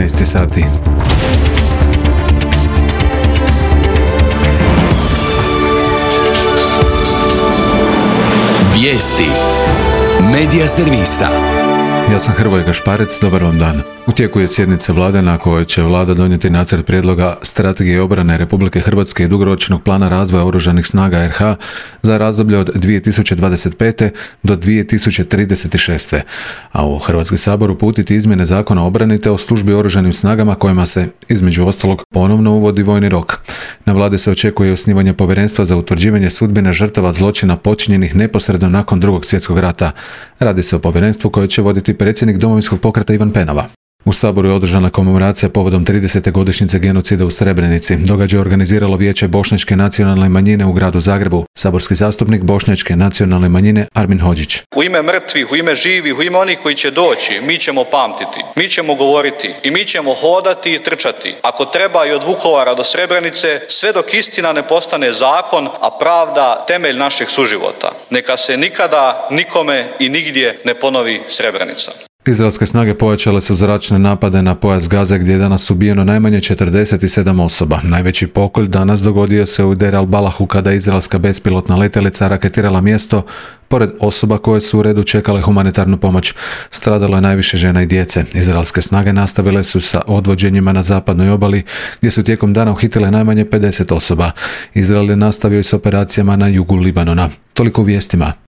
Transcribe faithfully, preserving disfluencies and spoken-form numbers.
trinaest sati. Vijesti Medija servisa. Ja sam Hrvoje Gašparec, dobar vam dan. U tijeku je sjednica vlade na kojoj će vlada donijeti nacrt prijedloga strategije obrane Republike Hrvatske i dugoročnog plana razvoja oružanih snaga er ha za razdoblje od dvije tisuće dvadeset pete do dvije tisuće trideset šeste. A u Hrvatski sabor uputiti izmjene Zakona o obrani te o službi oružanim snagama kojima se, između ostalog, ponovno uvodi vojni rok. Na vladi se očekuje osnivanje povjerenstva za utvrđivanje sudbine žrtava zločina počinjenih neposredno nakon Drugog svjetskog rata. Radi se o povjerenstvu koje će voditi predsjednik Domovinskog pokreta Ivan Penava. U Saboru je održana komemoracija povodom tridesete godišnjice genocida u Srebrenici. Događaj je organiziralo Vijeće Bošnjačke nacionalne manjine u gradu Zagrebu. Saborski zastupnik Bošnjačke nacionalne manjine Armin Hodžić. U ime mrtvih, u ime živih, u ime onih koji će doći, mi ćemo pamtiti, mi ćemo govoriti i mi ćemo hodati i trčati. Ako treba i od Vukovara do Srebrenice, sve dok istina ne postane zakon, a pravda temelj našeg suživota. Neka se nikada, nikome i nigdje ne ponovi Srebrenica. Izraelske snage pojačale su zračne napade na pojas Gaze gdje je danas ubijeno najmanje četrdeset sedam osoba. Najveći pokolj danas dogodio se u Der al-Balahu kada je izraelska bespilotna letjelica raketirala mjesto pored osoba koje su u redu čekale humanitarnu pomoć. Stradalo je najviše žena i djece. Izraelske snage nastavile su sa odvođenjima na zapadnoj obali gdje su tijekom dana uhitile najmanje pedeset osoba. Izrael je nastavio i s operacijama na jugu Libanona. Toliko u vijestima.